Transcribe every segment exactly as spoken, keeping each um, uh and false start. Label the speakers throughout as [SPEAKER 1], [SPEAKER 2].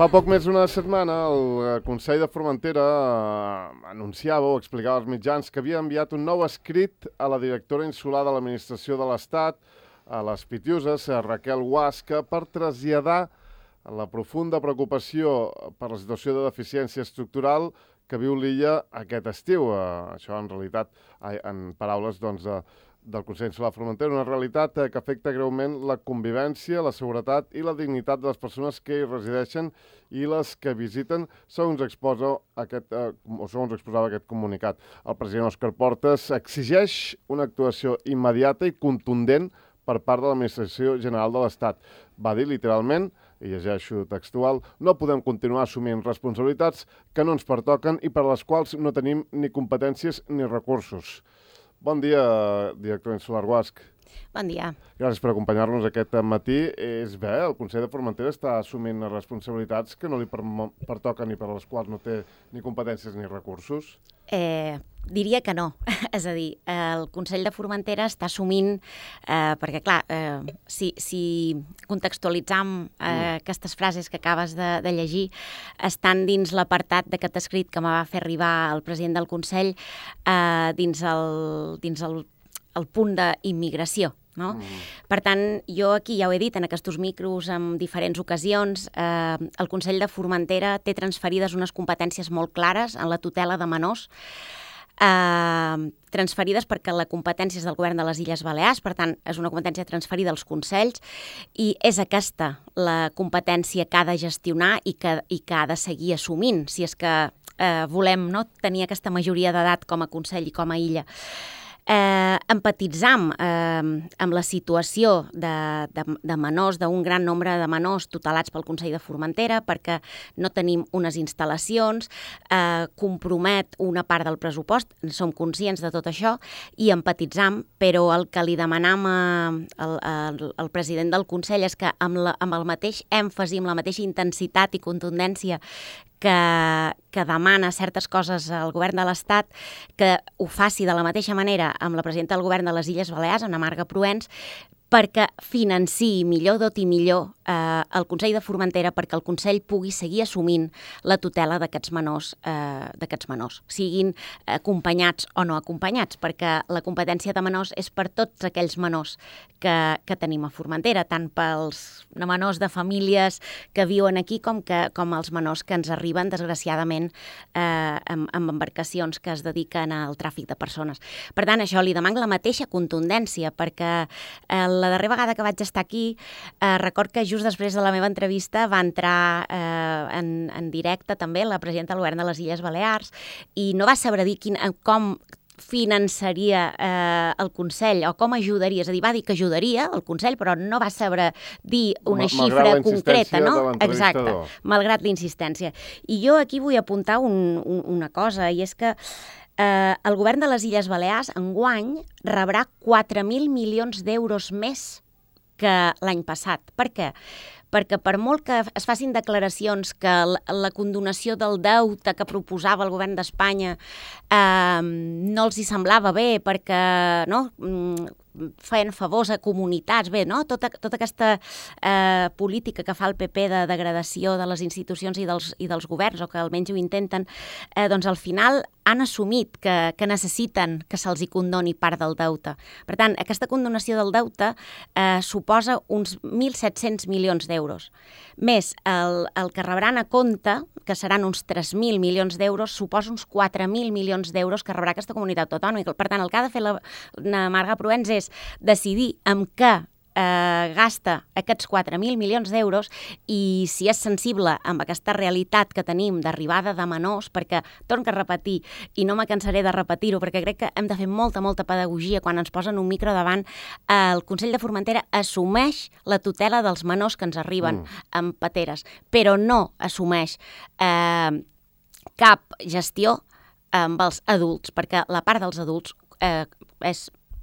[SPEAKER 1] Fa poc més d'una setmana el Consell de Formentera anunciava o explicava als mitjans que havia enviat un nou escrit a la directora insular de l'Administració de l'Estat, a les Pitiuses, a Raquel Guasca, per traslladar la profunda preocupació per la situació de deficiència estructural que viu l'illa aquest estiu. Això, en realitat, en paraules doncs, del Consell Insular de Formentera, una realitat que afecta greument la convivència, la seguretat i la dignitat de les persones que hi resideixen i les que visiten, segons exposa aquest, o segons exposava aquest comunicat. El president Òscar Portas exigeix una actuació immediata i contundent per part de l'Administració General de l'Estat. Va dir literalment, i llegeixo textual, no podem continuar assumint responsabilitats que no ens pertoquen i per les quals no tenim ni competències ni recursos. Bon dia, director insular Guasch.
[SPEAKER 2] Bon dia.
[SPEAKER 1] Gràcies per acompanyar-nos aquest matí. És bé, el Consell de Formentera està assumint responsabilitats que no li pertoquen i per les quals no té ni competències ni recursos?
[SPEAKER 2] Eh, diria que no. És a dir, el Consell de Formentera està assumint, eh, perquè clar, eh, si, si contextualitzam eh, mm. aquestes frases que acabes de, de llegir, estan dins l'apartat d'aquest escrit que me va fer arribar el president del Consell eh, dins el, dins el, el punt d'immigració. No? Mm. Per tant, jo aquí ja ho he dit en aquests micros en diferents ocasions, eh, el Consell de Formentera té transferides unes competències molt clares en la tutela de menors, eh, transferides perquè la competència és del Govern de les Illes Balears, per tant, és una competència transferida als Consells i és aquesta la competència que ha de gestionar i que, i que ha de seguir assumint, si és que eh, volem no, tenir aquesta majoria d'edat com a Consell i com a illa. Eh, empatitzam eh, amb la situació de, de, de menors, d'un gran nombre de menors tutelats pel Consell de Formentera perquè no tenim unes instal·lacions, eh, compromet una part del pressupost, som conscients de tot això i empatitzam, però el que li demanam al, al, al president del Consell és que amb, la, amb el mateix èmfasi, amb la mateixa intensitat i contundència que, que demana certes coses al govern de l'Estat, que ho faci de la mateixa manera amb la presidenta del govern de les Illes Balears, Ana Marga Proens, perquè financiï millor, doti millor eh, el Consell de Formentera perquè el Consell pugui seguir assumint la tutela d'aquests menors, eh, d'aquests menors, siguin acompanyats o no acompanyats, perquè la competència de menors és per tots aquells menors que, que tenim a Formentera, tant pels menors de famílies que viuen aquí com, que, com els menors que ens arriben, desgraciadament, eh, amb, amb embarcacions que es dediquen al tràfic de persones. Per tant, això li demana la mateixa contundència, perquè el la darrera vegada que vaig estar aquí, eh, record que just després de la meva entrevista va entrar eh, en, en directe també la presidenta del govern de les Illes Balears i no va saber dir quin, com finançaria eh, el Consell o com ajudaria, és a dir, va dir que ajudaria el Consell, però no va saber dir una
[SPEAKER 1] Mal,
[SPEAKER 2] xifra concreta, no?
[SPEAKER 1] Exacte,
[SPEAKER 2] malgrat l'insistència. I jo aquí vull apuntar un, un, una cosa, i és que Eh, el govern de les Illes Balears enguany rebrà quatre mil milions d'euros més que l'any passat. Per què? Perquè per molt que es facin declaracions que la, la condonació del deute que proposava el govern d'Espanya eh, no els hi semblava bé perquè no, feien favors a comunitats, bé, no? Tota, tota aquesta eh, política que fa el P P de degradació de les institucions i dels, i dels governs, o que almenys ho intenten, eh, doncs al final han assumit que, que necessiten que se'ls hi condoni part del deute. Per tant, aquesta condonació del deute eh, suposa uns mil set-cents milions d'euros. Més, el, el que rebran a compte, que seran uns tres mil milions d'euros, suposa uns quatre mil milions d'euros que rebrà aquesta comunitat autònoma. Per tant, el que ha de fer la, la Marga Proens és decidir amb què eh, gasta aquests quatre mil milions d'euros i si és sensible amb aquesta realitat que tenim d'arribada de menors, perquè, torno a repetir, i no me cansaré de repetir-ho, perquè crec que hem de fer molta, molta pedagogia quan ens posen un micro davant, eh, el Consell de Formentera assumeix la tutela dels menors que ens arriben mm. amb pateres, però no assumeix eh, cap gestió amb els adults, perquè la part dels adults eh, és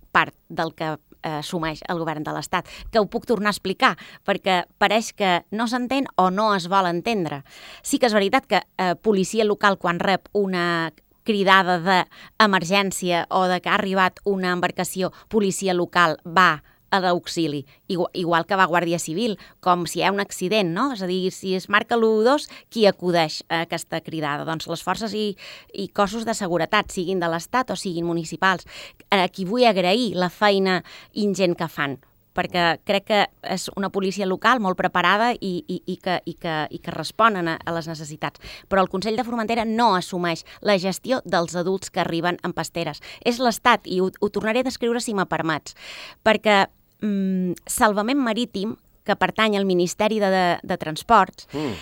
[SPEAKER 2] part del que eh, assumeix el govern de l'Estat, que ho puc tornar a explicar, perquè pareix que no s'entén o no es vol entendre. Sí que és veritat que eh, policia local, quan rep una cridada d'emergència o de que ha arribat una embarcació, policia local va a l'auxili, igual, igual que va Guàrdia Civil, com si hi ha un accident, no? És a dir, si es marca l'u dos, qui acudeix a aquesta cridada? Doncs les forces i, i cossos de seguretat, siguin de l'Estat o siguin municipals. A qui vull agrair la feina ingent que fan, perquè crec que és una policia local molt preparada i, i, i, que, i, que, i que responen a, a les necessitats. Però el Consell de Formentera no assumeix la gestió dels adults que arriben en pasteres. És l'Estat, i ho, ho tornaré a descriure si me permets, perquè mm, Salvament Marítim, que pertany al Ministeri de, de, de Transports, mm.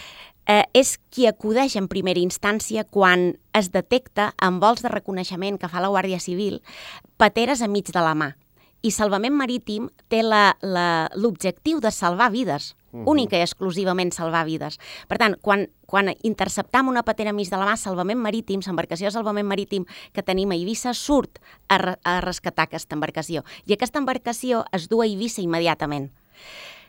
[SPEAKER 2] eh, és qui acudeix en primera instància quan es detecta en vols de reconeixement que fa la Guàrdia Civil pateres a mig de la mà. I Salvament Marítim té l'objectiu de salvar vides, uh-huh. única i exclusivament salvar vides. Per tant, quan, quan interceptam una patera mig de la mà, Salvament Marítim, l'embarcació de Salvament Marítim que tenim a Eivissa, surt a, re, a rescatar aquesta embarcació. I aquesta embarcació es du a Eivissa immediatament.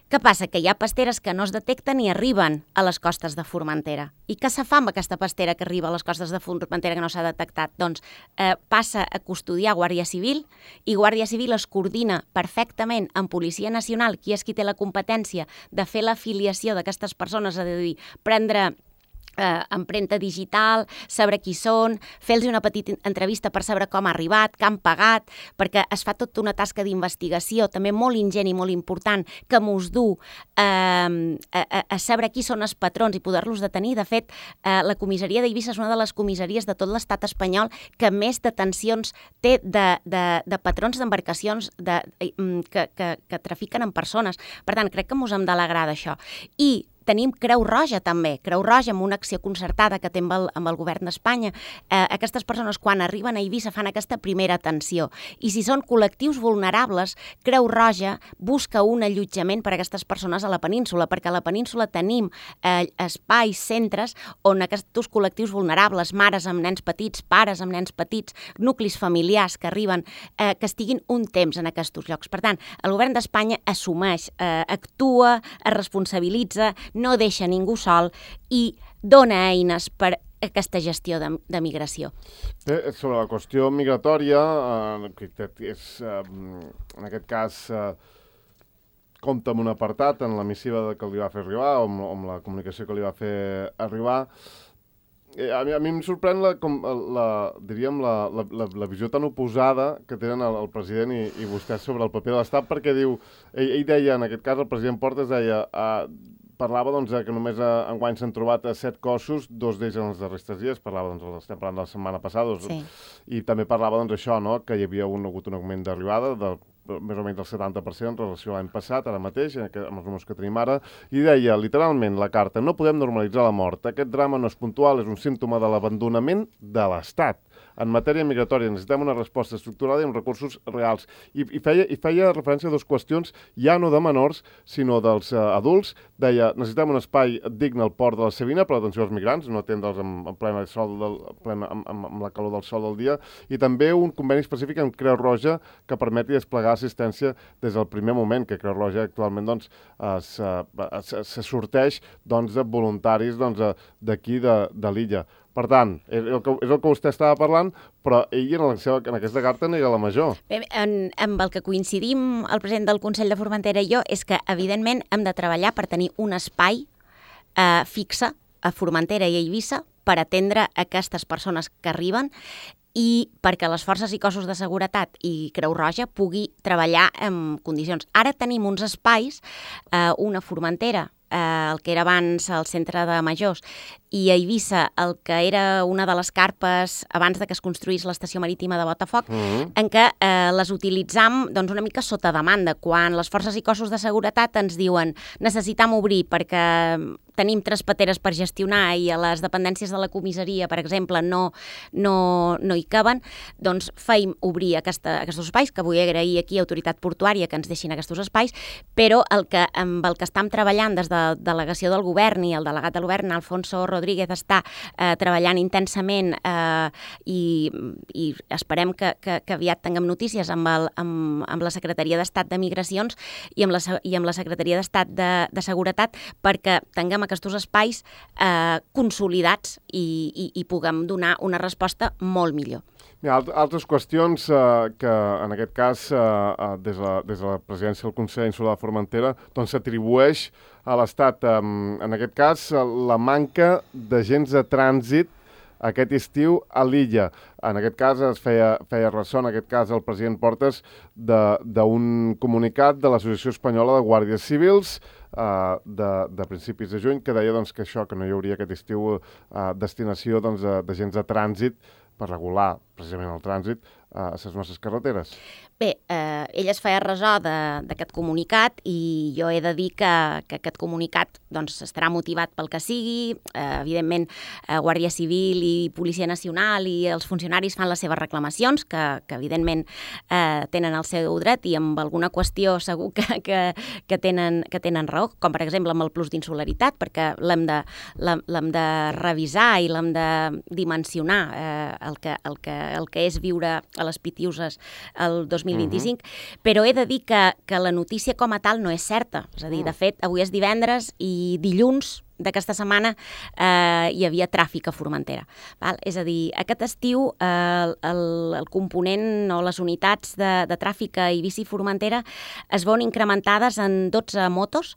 [SPEAKER 2] Què passa? Que hi ha pasteres que no es detecten i arriben a les costes de Formentera. I què se fa amb aquesta pastera que arriba a les costes de Formentera que no s'ha detectat? Doncs eh, passa a custodiar Guàrdia Civil i Guàrdia Civil es coordina perfectament amb Policia Nacional, qui és qui té la competència de fer l'afiliació d'aquestes persones, és a dir, prendre Eh, empremta digital, saber qui són, fer-los una petita entrevista per saber com ha arribat, què han pagat, perquè es fa tota una tasca d'investigació, també molt ingent i molt important, que mos du eh, a, a saber qui són els patrons i poder-los detenir. De fet, eh, la comissaria d'Eivissa és una de les comissaries de tot l'estat espanyol que més detencions té de, de, de patrons d'embarcacions de, que, que, que trafiquen en persones. Per tant, crec que mos hem d'alegrar d'això. I tenim Creu Roja també, Creu Roja amb una acció concertada que té amb el, amb el govern d'Espanya. Eh, aquestes persones quan arriben a Eivissa fan aquesta primera atenció. I si són col·lectius vulnerables, Creu Roja busca un allotjament per a aquestes persones a la península, perquè a la península tenim eh, espais, centres on aquests col·lectius vulnerables, mares amb nens petits, pares amb nens petits, nuclis familiars que arriben, eh, que estiguin un temps en aquests llocs. Per tant, el govern d'Espanya assumeix, eh, actua, es responsabilitza, no deixa ningú sol i dona eines per aquesta gestió de, de migració.
[SPEAKER 1] Bé, sobre la qüestió migratòria, eh, és, eh, en aquest cas, eh, compta amb un apartat en la missiva que li va fer arribar, o amb, amb la comunicació que li va fer arribar. Eh, a, mi, a mi em sorprèn la, com, la, diríem, la, la, la, la visió tan oposada que tenen el, el president i, i vostè sobre el paper de l'Estat, perquè diu, ell, ell deia, en aquest cas, el president Portes deia... Eh, parlava doncs, que només a, enguany s'han trobat set cossos, dos d'ells en els darrers tres dies, parlava, doncs, estem parlant de la setmana passada, doncs, sí. I també parlava doncs, això, no? Que hi havia un, hagut un augment d'arribada del més o menys del setanta per cent en relació a l'any passat, ara mateix, amb els números que tenim ara, i deia, literalment, la carta, no podem normalitzar la mort. Aquest drama no és puntual, és un símptoma de l'abandonament de l'Estat. En matèria migratòria necessitem una resposta estructurada i amb recursos reals. I, i, feia, i feia referència a dues qüestions, ja no de menors, sinó dels uh, adults. Deia, necessitem un espai digne al port de la Savina per l'atenció als migrants, no atendre'ls en, en, plena sol del, plena, amb, amb, amb la calor del sol del dia, i també un conveni específic amb Creu Roja que permeti desplegar assistència des del primer moment, que Creu Roja actualment doncs, es, es, se sorteix doncs, de voluntaris doncs, d'aquí de, de l'illa. Per tant, és el, que, és el que vostè estava parlant, però ell en, la seva, en aquesta carta n'era la major.
[SPEAKER 2] Bé, en, amb el que coincidim el president del Consell de Formentera i jo és que, evidentment, hem de treballar per tenir un espai eh, fixe a Formentera i a Eivissa per atendre aquestes persones que arriben i perquè les forces i cossos de seguretat i Creu Roja pugui treballar en condicions. Ara tenim uns espais, eh, una Formentera, eh, el que era abans el centre de Majors, i a Eivissa, el que era una de les carpes abans de que es construís l'estació marítima de Botafoc, mm-hmm. en què eh, les utilitzam doncs, una mica sota demanda. Quan les forces i cossos de seguretat ens diuen necessitam obrir perquè tenim tres pateres per gestionar i a les dependències de la comissaria, per exemple, no, no, no hi caben, doncs feim obrir aquesta, aquests espais, que vull agrair aquí a Autoritat Portuària que ens deixin aquests espais, però el que, amb el que estem treballant des de delegació del govern i el delegat del govern, Alfonso Rodríguez, està eh, treballant intensament eh, i, i esperem que, que, que aviat tinguem notícies amb, el, amb, amb la Secretaria d'Estat de Migracions i amb la, i amb la Secretaria d'Estat de, de Seguretat perquè tinguem aquests espais eh, consolidats i, i, i puguem donar una resposta molt millor.
[SPEAKER 1] Hi ha altres qüestions eh, que, en aquest cas, eh, des, de, des de la presidència del Consell Insular de Formentera, doncs s'atribueix a l'Estat, eh, en aquest cas, la manca d'agents de trànsit aquest estiu a l'illa. En aquest cas es feia, feia ressò, en aquest cas el president Portes, d'un comunicat de l'Associació Espanyola de Guàrdies Civils eh, de, de principis de juny, que deia doncs, que això, que no hi hauria aquest estiu eh, destinació doncs, d'agents de trànsit per regular precisament el trànsit a les nostres carreteres.
[SPEAKER 2] Bé, eh, ell es feia ressò d'aquest comunicat i jo he de dir que, que aquest comunicat doncs, estarà motivat pel que sigui. Eh, evidentment, eh, Guàrdia Civil i Policia Nacional i els funcionaris fan les seves reclamacions, que, que evidentment eh, tenen el seu dret i amb alguna qüestió segur que, que, que, tenen, que tenen raó, com per exemple amb el plus d'insularitat, perquè l'hem de, l'hem de revisar i l'hem de dimensionar eh, el, que, el, que, el que és viure a les Pitiuses el dos mil vint-i-cinc, uh-huh. Però he de dir que, que la notícia com a tal no és certa. És a dir, de fet, avui és divendres i dilluns d'aquesta setmana eh, hi havia tràfic a Formentera. Val? És a dir, aquest estiu eh, el, el component o les unitats de, de tràfic a Eivissa i Formentera es veuen incrementades en dotze motos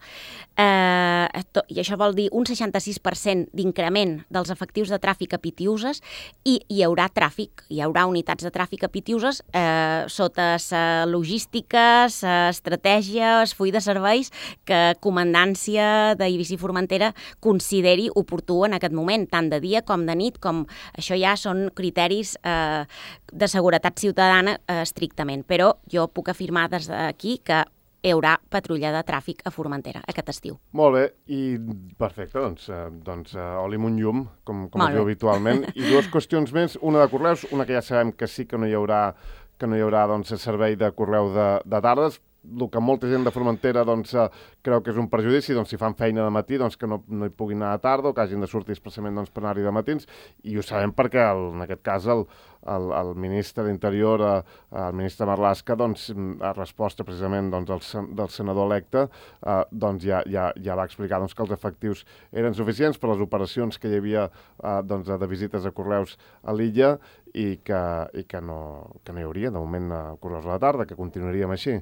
[SPEAKER 2] eh, to, i això vol dir un seixanta-sis per cent d'increment dels efectius de tràfic a Pitiuses i hi haurà tràfic, hi haurà unitats de tràfic a Pitiuses eh, sota sa logística, sa estratègia, es full de serveis que Comandància d'Eivissa i Formentera consideri oportú en aquest moment, tant de dia com de nit, com això ja són criteris eh, de seguretat ciutadana eh, estrictament. Però jo puc afirmar des d'aquí que hi haurà patrulla de tràfic a Formentera aquest estiu.
[SPEAKER 1] Molt bé, i perfecte, doncs, eh, doncs eh, oli amb un llum, com, com es diu habitualment. I dues qüestions més, una de correus, una que ja sabem que sí que no hi haurà, que no hi haurà doncs, servei de correu de, de tardes, el que molta gent de Formentera doncs, eh, creu que és un perjudici, doncs, si fan feina de matí, doncs, que no, no hi puguin anar a tarda o que hagin de sortir expressament doncs, per anar-hi de matins, i ho sabem perquè, el, en aquest cas, el, el, el ministre d'Interior, eh, el ministre Marlaska, doncs, a resposta precisament doncs, del, del senador electe, eh, doncs, ja, ja, ja va explicar doncs, que els efectius eren suficients per les operacions que hi havia eh, doncs, de visites a correus a l'illa i que, i que, no, que no hi hauria, de moment, a correus a la tarda, que continuaríem així.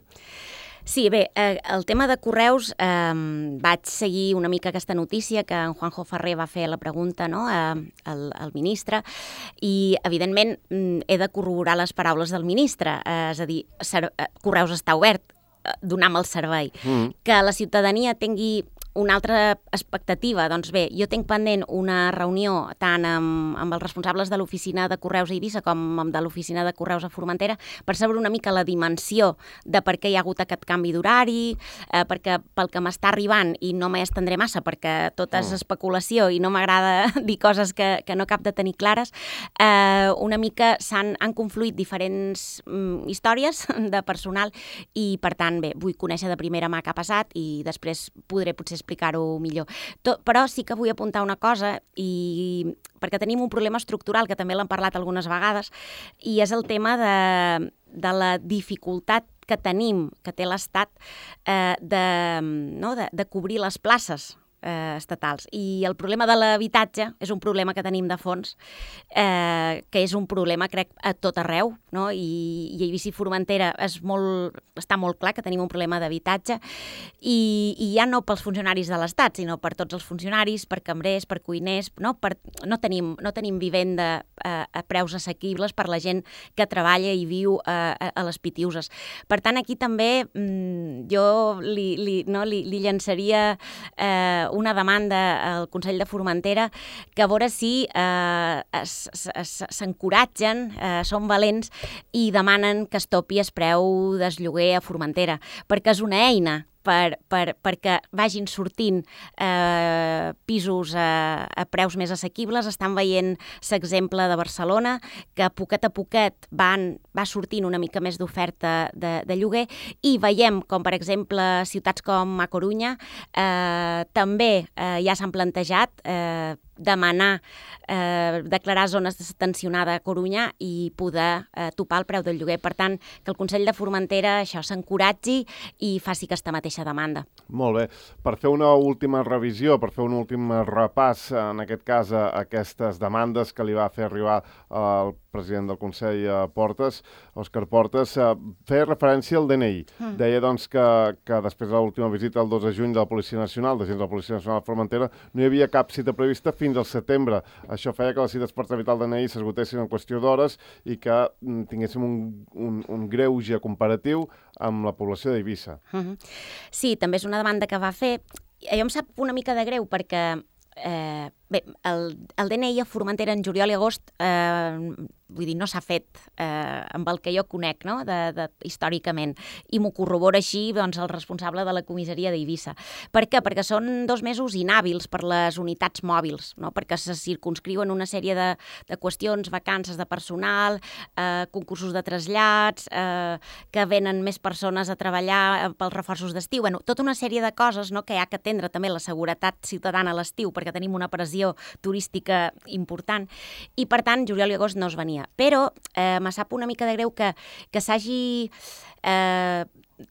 [SPEAKER 2] Sí, bé, eh, el tema de correus, eh, vaig seguir una mica aquesta notícia que en Juanjo Ferrer va fer la pregunta, no?, eh, al, al ministre, i evidentment he de corroborar les paraules del ministre, eh, és a dir, ser, eh, correus està obert, eh, donam el servei. Mm. Que la ciutadania tingui una altra expectativa, doncs bé, jo tinc pendent una reunió tant amb, amb els responsables de l'oficina de Correus a Eivissa com amb de l'oficina de Correus a Formentera per saber una mica la dimensió de per què hi ha hagut aquest canvi d'horari, eh, perquè pel que m'està arribant, i no m'hi estendré massa perquè tot és especulació i no m'agrada dir coses que, que no cap de tenir clares, eh, una mica s'han han confluït diferents mm, històries de personal i, per tant, bé, vull conèixer de primera mà què ha passat i després podré potser explicar-ho millor. Tot, però sí que vull apuntar una cosa, i perquè tenim un problema estructural, que també l'hem parlat algunes vegades, i és el tema de, de la dificultat que tenim, que té l'Estat, eh, de, no, de, de cobrir les places eh, estatals. I el problema de l'habitatge és un problema que tenim de fons, eh, que és un problema, crec, a tot arreu, no? I, i a Eivissa i Formentera és molt, està molt clar que tenim un problema d'habitatge, i, i ja no pels funcionaris de l'Estat, sinó per tots els funcionaris, per cambrers, per cuiners, no, per, no, tenim, no tenim vivenda eh, a preus assequibles per la gent que treballa i viu eh, a, a les Pitiuses. Per tant, aquí també mm, jo li, li, no, li, li llançaria eh, una demanda al Consell de Formentera que a veure si eh, s'encoratgen, eh, són valents i demanen que es topi el preu del lloguer a Formentera, perquè és una eina per, per, perquè vagin sortint eh, pisos a, a preus més assequibles. Estan veient l'exemple de Barcelona, que poquet a poquet van, va sortint una mica més d'oferta de, de lloguer, i veiem com, per exemple, ciutats com a Corunya eh, també eh, ja s'han plantejat eh, demanar eh, declarar zones tensionada a Corunyà i poder eh, topar el preu del lloguer. Per tant, que el Consell de Formentera això s'encoratgi i faci aquesta mateixa demanda.
[SPEAKER 1] Molt bé. Per fer una última revisió, per fer un últim repàs, en aquest cas, a aquestes demandes que li va fer arribar el president del Consell, Portes, Òscar Portes, feia referència al D N I. Mm. Deia doncs, que, que després de l'última visita el dos de juny de la Policia Nacional, d'agents de la Policia Nacional de Formentera, no hi havia cap cita prevista fins al setembre. Això feia que les cites per tramitar el D N I s'esgotessin en qüestió d'hores i que tinguéssim un, un, un greuge comparatiu amb la població d'Eivissa. Mm-hmm.
[SPEAKER 2] Sí, també és una demanda que va fer. Jo em sap una mica de greu perquè Eh, bé, el, el D N I a Formentera en juliol i agost eh, vull dir, no s'ha fet eh, amb el que jo conec, no? de, de, històricament, i m'ho corrobora així doncs, el responsable de la comissaria d'Eivissa. Per què? Perquè són dos mesos inhàbils per les unitats mòbils, no? Perquè se circumscriuen una sèrie de, de qüestions, vacances de personal, eh, concursos de trasllats, eh, que venen més persones a treballar pels reforços d'estiu, bueno, tota una sèrie de coses, no? Que hi ha que atendre també la seguretat ciutadana a l'estiu, perquè tenim una pressió turística important, i per tant juliol i agost no es venia. Però eh, me sap una mica de greu que, que s'hagi eh,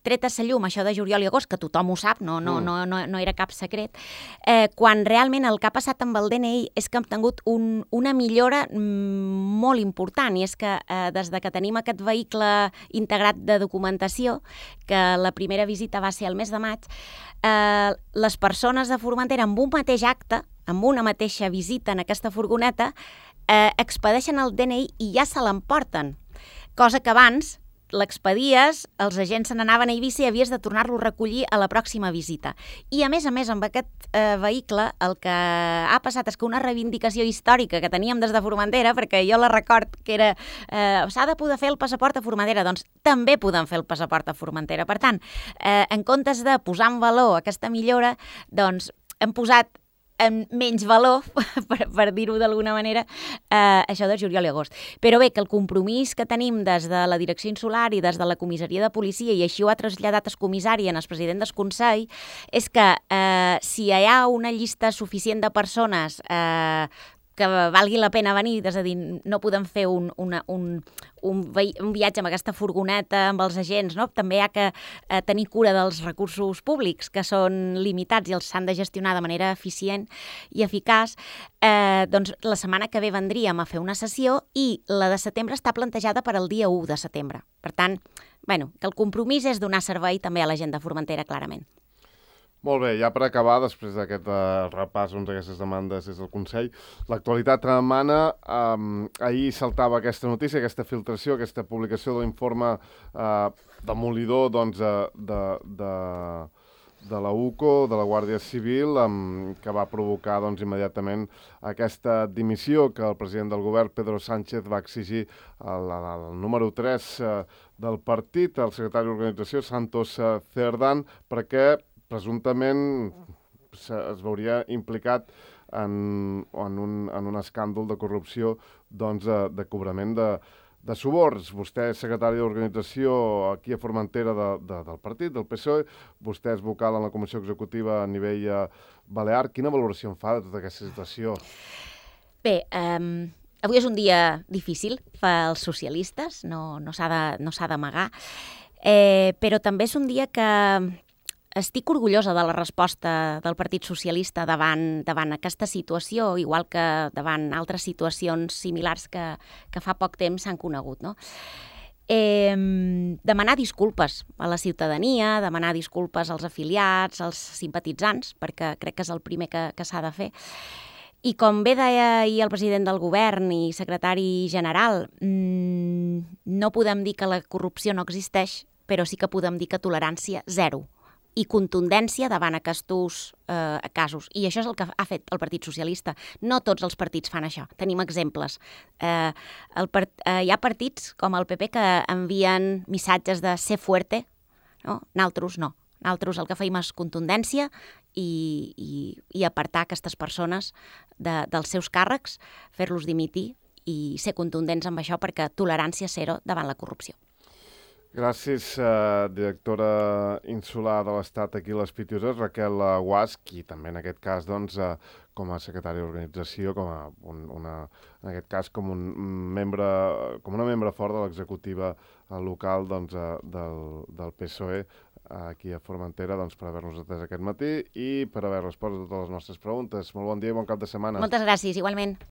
[SPEAKER 2] tret a sa llum això de juliol i agost, que tothom ho sap, no, no, no, no, no era cap secret, eh, quan realment el que ha passat amb el D N I és que hem tingut un, una millora molt important, i és que eh, des de que tenim aquest vehicle integrat de documentació, que la primera visita va ser el mes de maig, eh, les persones de Formentera amb un mateix acte, amb una mateixa visita en aquesta furgoneta, eh, expedeixen el D N I i ja se l'emporten. Cosa que abans l'expedies, els agents se n'anaven a Eivissa i havies de tornar-lo a recollir a la pròxima visita. I a més a més, amb aquest eh, vehicle, el que ha passat és que una reivindicació històrica que teníem des de Formentera, perquè jo la record que era eh, s'ha de poder fer el passaport a Formentera, doncs també podem fer el passaport a Formentera. Per tant, eh, en comptes de posar en valor aquesta millora, doncs hem posat en menys valor, per, per dir-ho d'alguna manera, eh, això de juliol i agost. Però bé, que el compromís que tenim des de la Direcció Insular i des de la comissaria de policia, i així ho ha traslladat el comissari en el president del Consell, és que eh, si hi ha una llista suficient de persones eh, que valgui la pena venir, és a dir, no podem fer un, una, un, un, un viatge amb aquesta furgoneta, amb els agents, no? També hi ha que eh, tenir cura dels recursos públics, que són limitats i els s'han de gestionar de manera eficient i eficaç. Eh, doncs la setmana que ve vendríem a fer una sessió i la de setembre està plantejada per al dia u de setembre. Per tant, bueno, que el compromís és donar servei també a la gent de Formentera, clarament.
[SPEAKER 1] Molt bé, ja per acabar, després d'aquest uh, repàs doncs, d'aquestes demandes des del Consell, l'actualitat demana, um, ahir saltava aquesta notícia, aquesta filtració, aquesta publicació de l'informe uh, demolidor doncs, uh, de, de, de la U C O, de la Guàrdia Civil, um, que va provocar doncs, immediatament aquesta dimissió que el president del govern, Pedro Sánchez, va exigir al, al número tres uh, del partit, el secretari d'Organització, Santos uh, Cerdán, perquè presumptament es veuria implicat en, en, un, en un escàndol de corrupció doncs, de, de cobrament de, de suborns. Vostè és secretari d'Organització aquí a Formentera de, de, del partit, del P S O E, vostè és vocal en la Comissió Executiva a nivell eh, balear. Quina valoració en fa de tota aquesta situació?
[SPEAKER 2] Bé, um, avui és un dia difícil pels socialistes, no, no s'ha de, no s'ha d'amagar, eh, però també és un dia que estic orgullosa de la resposta del Partit Socialista davant, davant aquesta situació, igual que davant altres situacions similars que, que fa poc temps s'han conegut, no? Eh, demanar disculpes a la ciutadania, demanar disculpes als afiliats, als simpatitzants, perquè crec que és el primer que, que s'ha de fer. I com bé deia ahir el president del govern i secretari general, mmm, no podem dir que la corrupció no existeix, però sí que podem dir que tolerància zero i contundència davant aquests eh, casos. I això és el que ha fet el Partit Socialista. No tots els partits fan això. Tenim exemples. Eh, el part, eh, hi ha partits com el P P que envien missatges de ser fuerte, no? Naltros no. Naltros el que feim és contundència i, i, i apartar aquestes persones de, dels seus càrrecs, fer-los dimitir i ser contundents amb això perquè tolerància zero davant la corrupció.
[SPEAKER 1] Gràcies, eh, directora insular de l'Estat aquí a les Pitiuses, Raquel Guasch, i també en aquest cas, doncs, eh, com a secretària d'organització, com a un, una, en aquest cas com un membre, com una membre fort de l'executiva local, doncs, eh, del, del P S O E aquí a Formentera, doncs, per haver-nos atès aquest matí i per haver respost a totes les nostres preguntes. Molt bon dia i bon cap de setmana.
[SPEAKER 2] Moltes gràcies, igualment.